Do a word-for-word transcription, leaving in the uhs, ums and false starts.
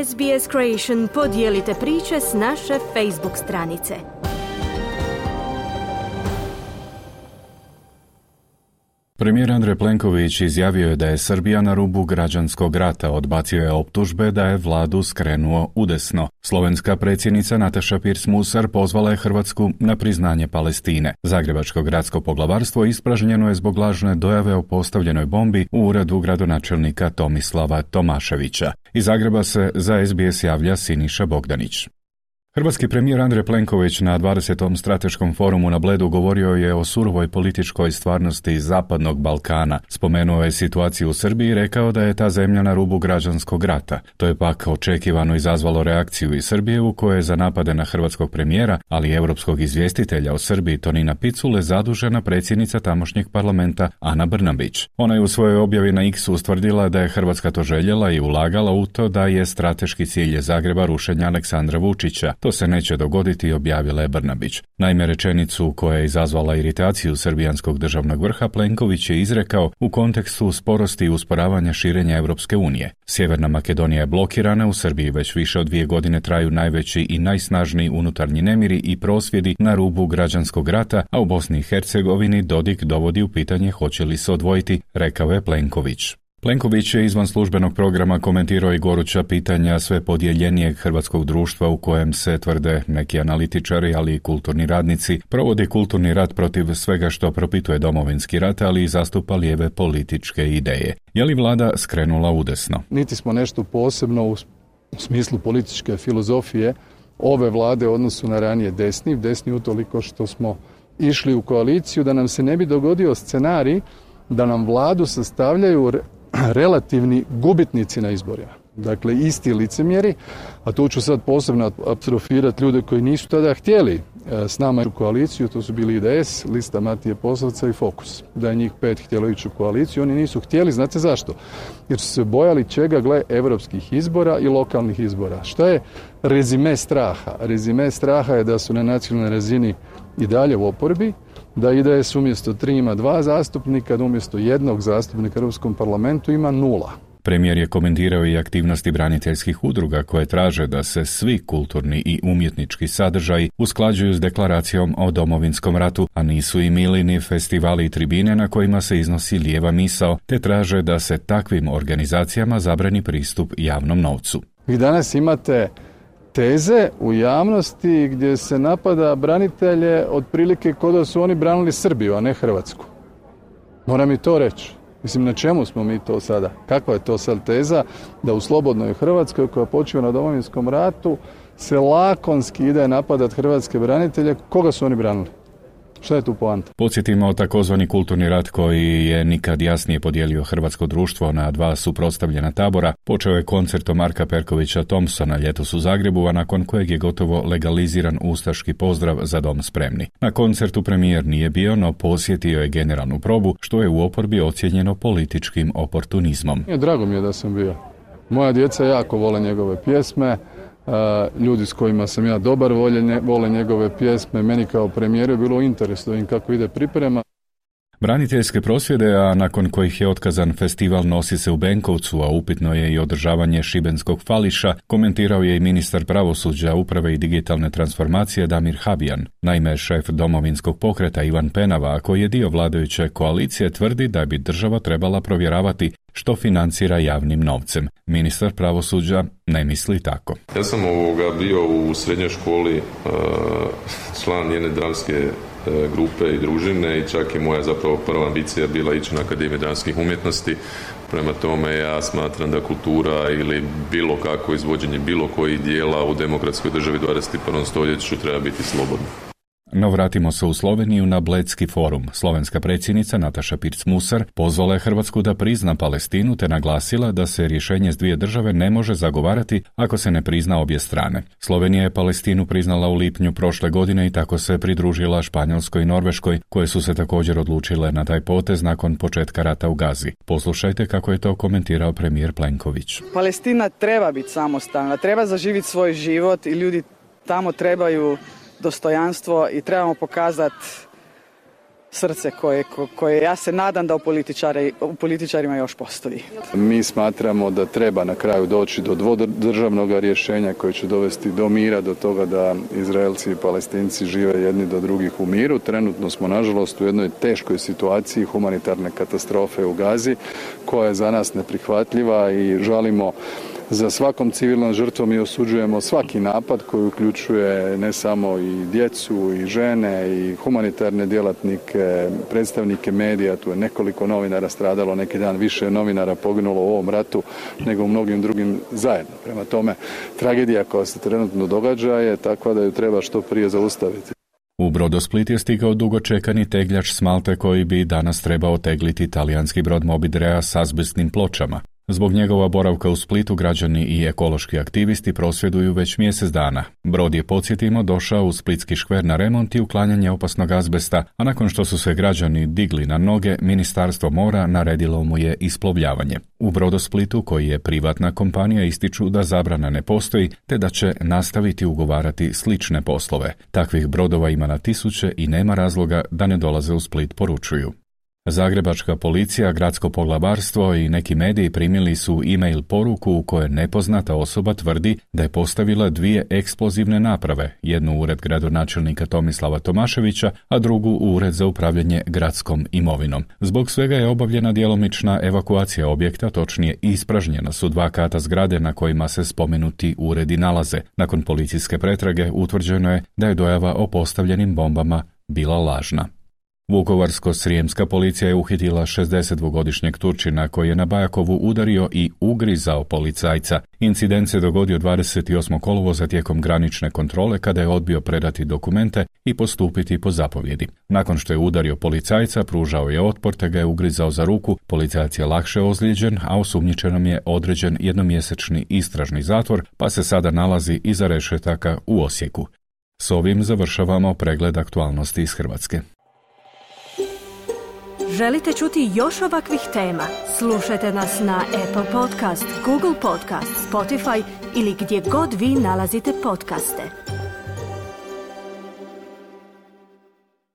S B S Creation podijelite priče s naše Facebook stranice. Premijer Andrej Plenković izjavio je da je Srbija na rubu građanskog rata, odbacio je optužbe da je vladu skrenuo udesno. Slovenska predsjednica Nataša Pirc-Musar pozvala je Hrvatsku na priznanje Palestine. Zagrebačko gradsko poglavarstvo ispražnjeno je zbog lažne dojave o postavljenoj bombi u uredu gradonačelnika Tomislava Tomaševića. Iz Zagreba se za S B S javlja Siniša Bogdanić. Hrvatski premijer Andrej Plenković na dvadesetom strateškom forumu na Bledu govorio je o surovoj političkoj stvarnosti Zapadnog Balkana. Spomenuo je situaciju u Srbiji i rekao da je ta zemlja na rubu građanskog rata. To je pak očekivano izazvalo reakciju iz Srbije u kojoj je za napade na hrvatskog premijera, ali i europskog izvjestitelja o Srbiji Tonina Picule zadužena predsjednica tamošnjeg parlamenta Ana Brnabić. Ona je u svojoj objavi na X ustvrdila da je Hrvatska to željela i ulagala u to da je strateški cilj Zagreba rušenja Aleksandra Vučića. To se neće dogoditi, objavila je Brnabić. Naime, rečenicu koja je izazvala iritaciju srbijanskog državnog vrha Plenković je izrekao u kontekstu sporosti i usporavanja širenja Europske unije. Sjeverna Makedonija je blokirana, u Srbiji već više od dvije godine traju najveći i najsnažniji unutarnji nemiri i prosvjedi na rubu građanskog rata, a u Bosni i Hercegovini Dodik dovodi u pitanje hoće li se odvojiti, rekao je Plenković. Plenković je izvan službenog programa komentirao i goruća pitanja sve podjeljenijeg hrvatskog društva u kojem se, tvrde neki analitičari, ali i kulturni radnici, provodi kulturni rat protiv svega što propituje Domovinski rat, ali i zastupa lijeve političke ideje. Je li vlada skrenula udesno? Niti smo nešto posebno u smislu političke filozofije ove vlade u odnosu na ranije desni, desni utoliko što smo išli u koaliciju da nam se ne bi dogodio scenarij da nam vladu sastavljaju relativni gubitnici na izborima. Dakle, isti licemjeri, a tu ću sad posebno apostrofirati ljude koji nisu tada htjeli s nama u koaliciju, to su bili I D S, lista Matije Posavca i Fokus. Da je njih pet htjelo ići u koaliciju, oni nisu htjeli, znate zašto? Jer su se bojali čega, gle, evropskih izbora i lokalnih izbora. Šta je rezime straha? Rezime straha je da su na nacionalnoj razini i dalje u oporbi, da I D S umjesto tri ima dva zastupnika, da umjesto jednog zastupnika u Europskom parlamentu ima nula. Premijer je komentirao i aktivnosti braniteljskih udruga koje traže da se svi kulturni i umjetnički sadržaji usklađuju s deklaracijom o Domovinskom ratu, a nisu i milini festivali i tribine na kojima se iznosi lijeva misao, te traže da se takvim organizacijama zabrani pristup javnom novcu. Vi danas imate teze u javnosti gdje se napada branitelje otprilike kao da su oni branili Srbiju, a ne Hrvatsku. Moram i to reći. Mislim, na čemu smo mi to sada? Kakva je to sad teza da u slobodnoj Hrvatskoj koja počiva na Domovinskom ratu se lakonski ide napadat hrvatske branitelje? Koga su oni branili? Šta je tu poanta? Podsjetimo takozvani kulturni rat koji je nikad jasnije podijelio hrvatsko društvo na dva suprotstavljena tabora. Počeo je koncertom Marka Perkovića Thompsona ljetos u Zagrebu, a nakon kojeg je gotovo legaliziran ustaški pozdrav Za dom spremni. Na koncertu premijer nije bio, no posjetio je generalnu probu, što je u oporbi ocijenjeno političkim oportunizmom. Drago mi je da sam bio. Moja djeca jako vole njegove pjesme. Uh, ljudi s kojima sam ja dobar volje, vole njegove pjesme. Meni kao premijeru je bilo u interesu da im kako ide priprema. Braniteljske prosvjede, a nakon kojih je otkazan festival nosi se u Benkovcu, a upitno je i održavanje šibenskog fališa, komentirao je i ministar pravosuđa, uprave i digitalne transformacije Damir Habijan. Naime, šef Domovinskog pokreta Ivan Penava, koji je dio vladajuće koalicije, tvrdi da bi država trebala provjeravati što financira javnim novcem. Ministar pravosuđa ne misli tako. Ja sam ovoga bio u srednjoj školi uh, član jedne dramske uh, grupe i družine i čak i moja zapravo prva ambicija bila ići na Akademiju dramskih umjetnosti. Prema tome ja smatram da kultura ili bilo kako izvođenje bilo kojih dijela u demokratskoj državi dvadeset prvom stoljeću treba biti slobodno. No vratimo se u Sloveniju na Bledski forum. Slovenska predsjednica Nataša Pirc-Musar pozvala je Hrvatsku da prizna Palestinu te naglasila da se rješenje s dvije države ne može zagovarati ako se ne prizna obje strane. Slovenija je Palestinu priznala u lipnju prošle godine i tako se pridružila Španjolskoj i Norveškoj, koje su se također odlučile na taj potez nakon početka rata u Gazi. Poslušajte kako je to komentirao premijer Plenković. Palestina treba biti samostalna, treba zaživjeti svoj život i ljudi tamo trebaju dostojanstvo i trebamo pokazati srce koje, koje ja se nadam da u, političari, u političarima još postoji. Mi smatramo da treba na kraju doći do dvodržavnog rješenja koje će dovesti do mira, do toga da Izraelci i Palestinci žive jedni do drugih u miru. Trenutno smo nažalost u jednoj teškoj situaciji humanitarne katastrofe u Gazi koja je za nas neprihvatljiva i žalimo za svakom civilnom žrtvom i osuđujemo svaki napad koji uključuje ne samo i djecu i žene i humanitarne djelatnike, predstavnike medija. Tu je nekoliko novinara stradalo, neki dan više novinara poginulo u ovom ratu nego u mnogim drugim zajedno. Prema tome, tragedija koja se trenutno događa je takva da ju treba što prije zaustaviti. U Brodosplit je stigao dugočekani tegljač s Malte koji bi danas trebao tegliti talijanski brod Mobidrea s azbestnim pločama. Zbog njegova boravka u Splitu građani i ekološki aktivisti prosvjeduju već mjesec dana. Brod je, podsjetimo, došao u splitski škver na remont i uklanjanje opasnog azbesta, a nakon što su se građani digli na noge, Ministarstvo mora naredilo mu je isplovljavanje. U Brodosplitu, koji je privatna kompanija, ističu da zabrana ne postoji, te da će nastaviti ugovarati slične poslove. Takvih brodova ima na tisuće i nema razloga da ne dolaze u Split, poručuju. Zagrebačka policija, gradsko poglavarstvo i neki mediji primili su e-mail poruku u kojoj nepoznata osoba tvrdi da je postavila dvije eksplozivne naprave, jednu u ured gradonačelnika Tomislava Tomaševića, a drugu u ured za upravljanje gradskom imovinom. Zbog svega je obavljena djelomična evakuacija objekta, točnije ispražnjena su dva kata zgrade na kojima se spomenuti uredi nalaze. Nakon policijske pretrage utvrđeno je da je dojava o postavljenim bombama bila lažna. Vukovarsko-srijemska policija je uhitila šezdesetdvogodišnjeg Turčina koji je na Bajakovu udario i ugrizao policajca. Incident se dogodio dvadeset osmog kolovoza tijekom granične kontrole kada je odbio predati dokumente i postupiti po zapovjedi. Nakon što je udario policajca, pružao je otpor te ga je ugrizao za ruku. Policajac je lakše ozlijeđen, a osumnjičenom je određen jednomjesečni istražni zatvor, pa se sada nalazi iza rešetaka u Osijeku. S ovim završavamo pregled aktualnosti iz Hrvatske. Želite čuti još ovakvih tema? Slušajte nas na Apple Podcast, Google Podcast, Spotify ili gdje god vi nalazite podcaste.